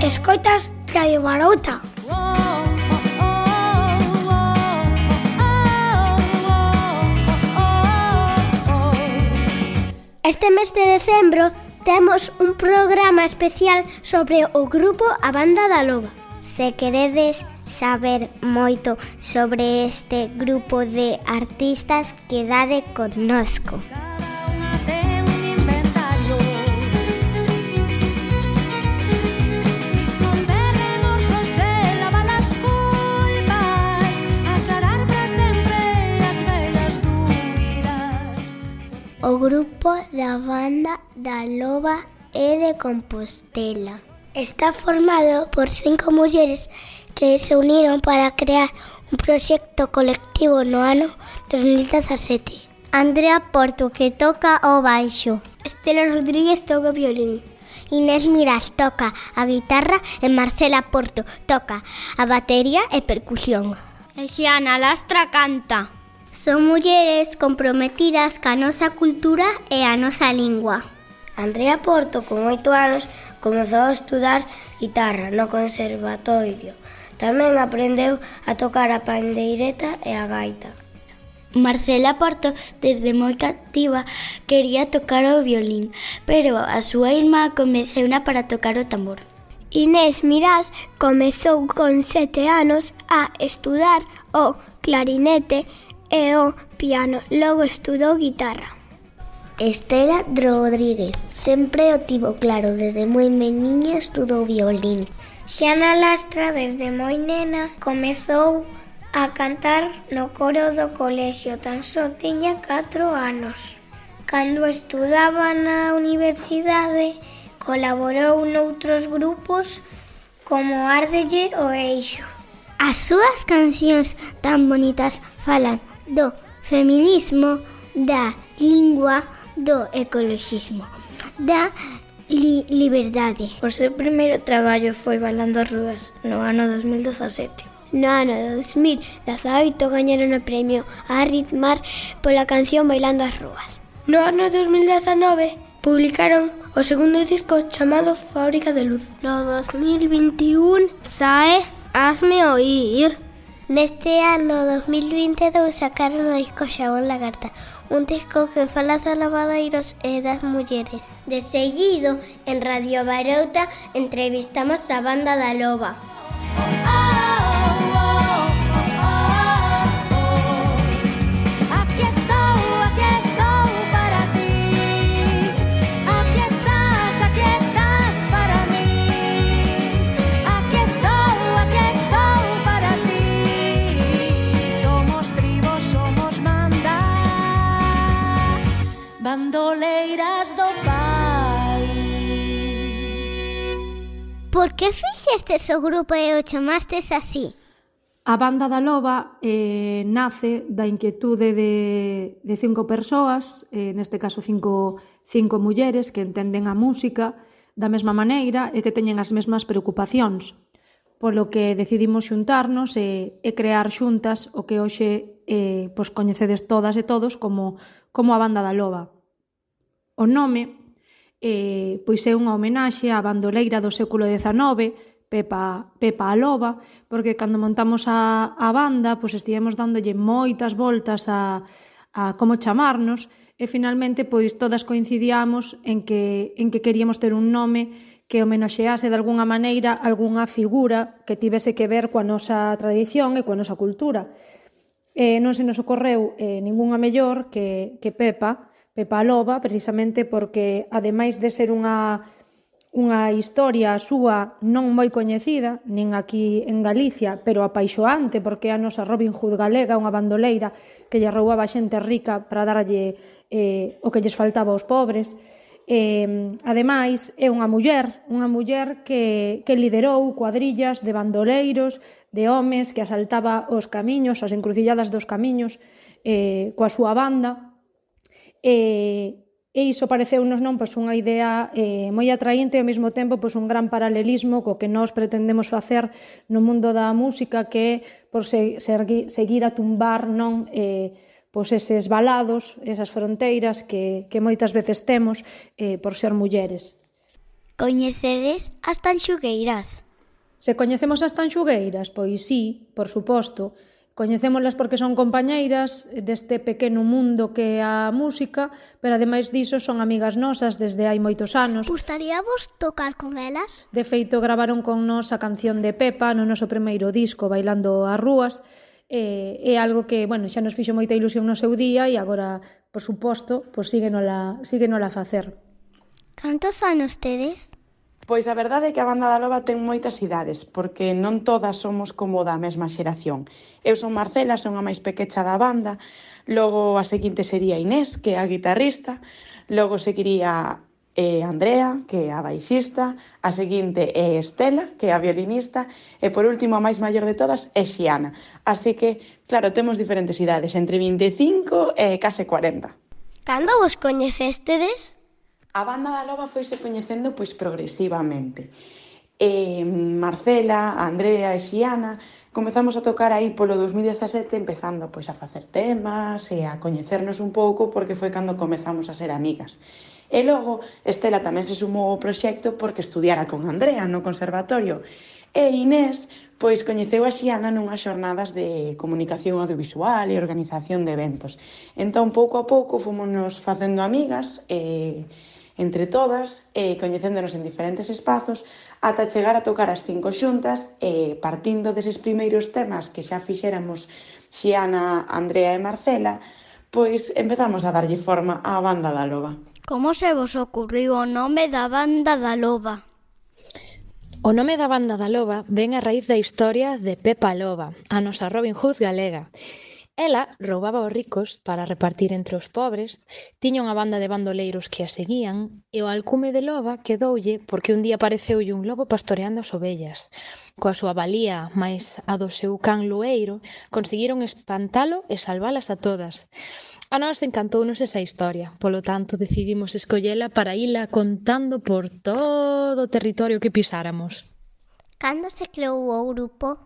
Escoitas Radio Marouta. Este mes de decembro temos un programa especial sobre o grupo A Banda da Loba. Se queredes saber moito sobre este grupo de artistas, quedade connosco. O grupo da Banda da Loba é de Compostela. Está formado por 5 mulleres que se uniron para crear un proxecto colectivo no ano 2017. Andrea Porto, que toca o baixo. Estela Rodríguez toca o violín. Inés Miras toca a guitarra e Marcela Porto toca a batería e percusión. E Xiana Lastra canta. Son mulleres comprometidas ca nosa cultura e a nosa lingua. Andrea Porto, con 8 anos, comezou a estudar guitarra no conservatorio. Tamén aprendeu a tocar a pandeireta e a gaita. Marcela Porto, desde moi cativa, quería tocar o violín, pero a súa irmá convenceuna para tocar o tambor. Inés Mirás comezou con 7 anos a estudar o clarinete e o piano, logo estudou guitarra. Estela Rodríguez sempre o tivo claro, desde moi meniña estudou violín. Xiana Lastra, desde moi nena, comezou a cantar no coro do colexio, tan só tiña 4 anos. Cando estudaba na universidade, colaborou noutros grupos como Árdelle o Eixo. As súas cancións tan bonitas falan do feminismo, da lingua, do ecoloxismo, da liberdade. O seu primeiro traballo foi Bailando as Rúas, no ano 2017. No ano 2018 gañaron o premio a Ritmar pola canción Bailando as Rúas. No ano 2019 publicaron o segundo disco chamado Fábrica de Luz. No 2021 sae Hazme Oír. Neste ano 2022 sacaron o disco Xabón Lagarta, un disco que fala dos lavadeiros e das mulleres. De seguido, en Radio Marouta entrevistamos a Banda da Loba. Bandoleiras do país. Por que fixestes o grupo e o chamastes así? A Banda da Loba nace da inquietude de 5 persoas, neste caso 5 mulleres que entenden a música da mesma maneira e que teñen as mesmas preocupacións. Polo que decidimos xuntarnos e crear xuntas o que hoxe coñecedes todas e todos como a Banda da Loba. O nome pois é unha homenaxe á bandoleira do século XIX, Pepa a Loba, porque cando montamos a banda pois estivemos dándolle moitas voltas a como chamarnos e finalmente pois todas coincidíamos en que queríamos ter un nome que homenaxease de algunha maneira algunha figura que tivese que ver coa nosa tradición e coa nosa cultura. Non se nos ocorreu ningunha mellor que Pepa a Loba, precisamente porque, ademais de ser unha historia súa non moi coñecida, nin aquí en Galicia, pero apaixoante, porque é a nosa Robin Hood galega, unha bandoleira que lle roubaba a xente rica para darlle o que lles faltaba aos pobres. Ademais, é unha muller que liderou cuadrillas de bandoleiros, de homes que asaltaba os camiños, as encrucilladas dos camiños, coa súa banda. E iso pareceunos unha idea moi atraínte e ao mesmo tempo un gran paralelismo co que nós pretendemos facer no mundo da música, que é por seguir a tumbar eses valados, esas fronteiras que moitas veces temos por ser mulleres. Coñecedes as tanxugueiras? Se coñecemos as tanxugueiras, pois sí, por suposto. Coñecémolas porque son compañeiras deste pequeno mundo que é a música, pero ademais diso son amigas nosas desde hai moitos anos. Gustaríavos tocar con elas? De feito, gravaron con nós a canción de Pepa no noso primeiro disco, Bailando as Rúas. É algo que, bueno, xa nos fixo moita ilusión no seu día e agora, por suposto, pois síguenola a facer. Cantos anos tedes? Pois a verdade é que a Banda da Loba ten moitas idades, porque non todas somos como da mesma xeración. Eu son Marcela, son a máis pequecha da banda, logo a seguinte sería Inés, que é a guitarrista, logo seguiría Andrea, que é a baixista, a seguinte é Estela, que é a violinista, e por último a máis maior de todas é Xiana. Así que, claro, temos diferentes idades, entre 25 e case 40. Cando vos coñecestedes? A Banda da Loba foise coñecendo pois progresivamente. Marcela, Andrea e Xiana comezamos a tocar aí polo 2017 empezando pois a facer temas e a coñecernos un pouco porque foi cando comezamos a ser amigas. E logo Estela tamén se sumou ao proxecto porque estudiara con Andrea no conservatorio. E Inés pois coñeceu a Xiana nunhas xornadas de comunicación audiovisual e organización de eventos. Entón, pouco a pouco, fomos facendo amigas entre todas, coñecéndonos en diferentes espazos, ata chegar a tocar as 5 xuntas, partindo deses primeiros temas que xa fixéramos Xiana, Andrea e Marcela, pois empezamos a darlle forma á Banda da Loba. Como se vos ocurriu o nome da Banda da Loba? O nome da Banda da Loba ven a raíz da historia de Pepa Loba, a nosa Robin Hood galega. Ela roubaba aos ricos para repartir entre os pobres, tiña unha banda de bandoleiros que a seguían e o alcume de loba quedoulle porque un día apareceulle un lobo pastoreando as ovellas. Coa súa valía máis a do seu can lueiro, conseguiron espantalo e salvalas a todas. A nós encantounos esa historia, polo tanto decidimos escollela para ila contando por todo o territorio que pisáramos. Cando se creou o grupo?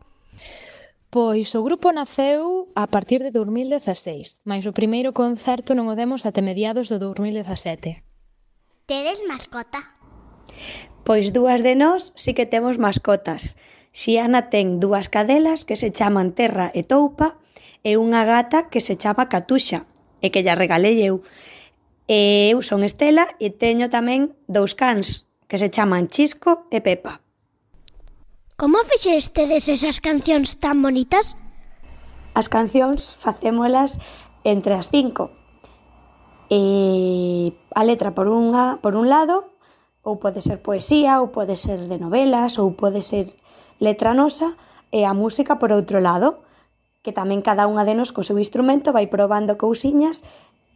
Pois o grupo naceu a partir de 2016, mais o primeiro concerto non o demos até mediados do 2017. Tedes mascota? Pois dúas de nós sí que temos mascotas. Xiana ten 2 cadelas que se chaman Terra e Toupa e unha gata que se chama Catuxa e que lla regalei eu. E eu son Estela e teño tamén 2 cans que se chaman Chisco e Pepa. Como fixestedes esas cancións tan bonitas? As cancións facémolas entre as 5. A letra por un lado, ou pode ser poesía, ou pode ser de novelas, ou pode ser letra nosa, e a música por outro lado, que tamén cada unha de nos co seu instrumento vai probando cousiñas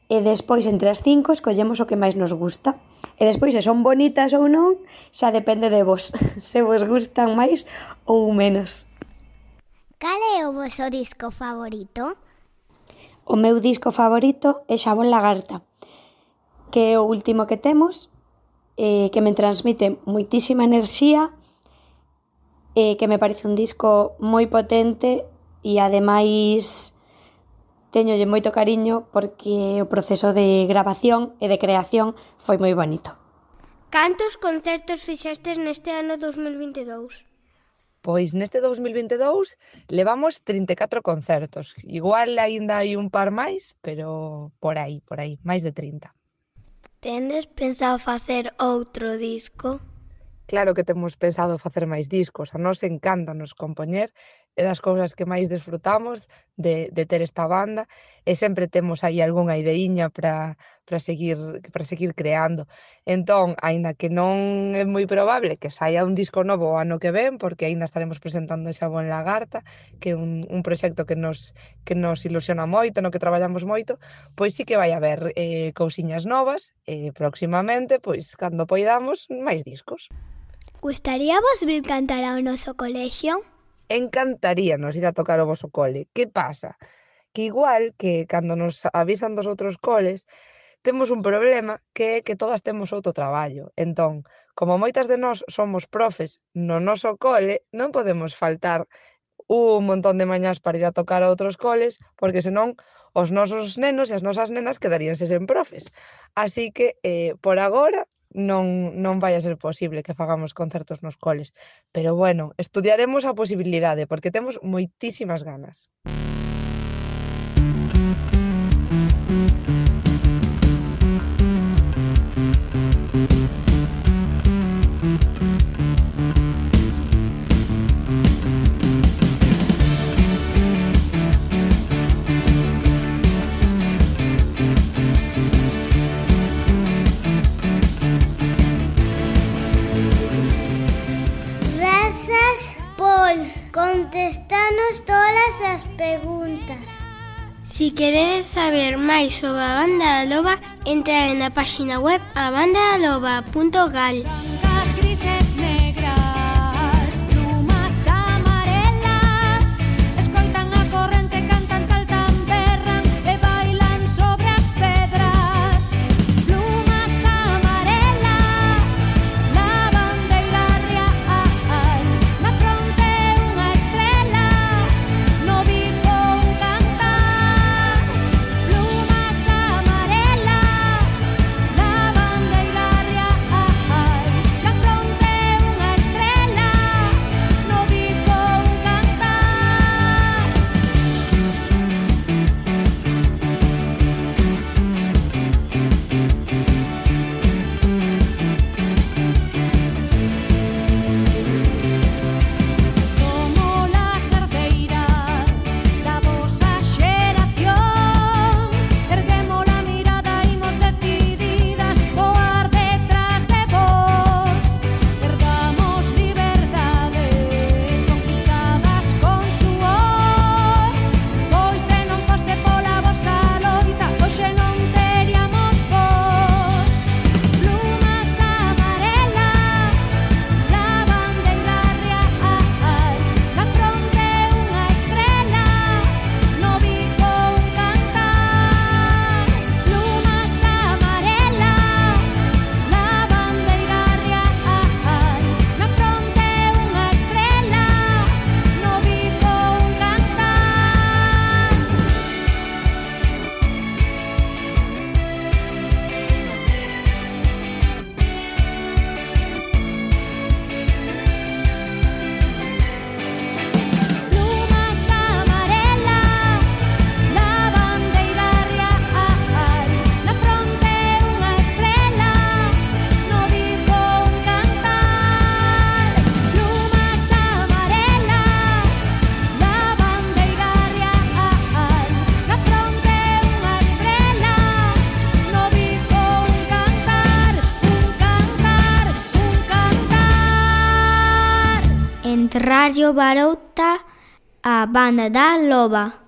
e despois entre as 5 escollemos o que máis nos gusta. E despois se son bonitas ou non, xa depende de vos, se vos gustan máis ou menos. Cal é o vosso disco favorito? O meu disco favorito é Xabón Lagarta, que é o último que temos, que me transmite moitísima enerxía, que me parece un disco moi potente e ademais teñolle moito cariño porque o proceso de grabación e de creación foi moi bonito. Cantos concertos fixestes neste ano 2022? Pois neste 2022 levamos 34 concertos. Igual aínda hai un par máis, pero por aí, máis de 30. Tendes pensado facer outro disco? Claro que temos pensado facer máis discos. A nós encántanos compoñer, é das cousas que máis desfrutamos de ter esta banda e sempre temos aí algunha ideíña para seguir creando. Entón, aínda que non é moi probable que saia un disco novo o ano que ven, porque aínda estaremos presentando Xabón Lagarta, que é un proxecto que nos ilusiona moito, no que traballamos moito, pois sí que vai haber cousiñas novas e próximamente, pois cando poidamos, máis discos. Gustaríavos vir cantar ao noso colexio? Encantaríanos ir a tocar o voso cole. Que pasa? Que igual que cando nos avisan dos outros coles, temos un problema que é que todas temos outro traballo. Entón, como moitas de nós somos profes no noso cole, non podemos faltar un montón de mañás para ir a tocar a outros coles, porque senón os nosos nenos e as nosas nenas quedaríanse sen profes. Así que, por agora, non vai a ser posible que fagamos concertos nos coles. Pero bueno, estudiaremos a posibilidade, porque temos moitísimas ganas. Contestanos todas as preguntas. Si queredes saber máis sobre a Banda da Loba, entra na página web abandadaloba.gal. Radio Barouta, a Banda da Loba.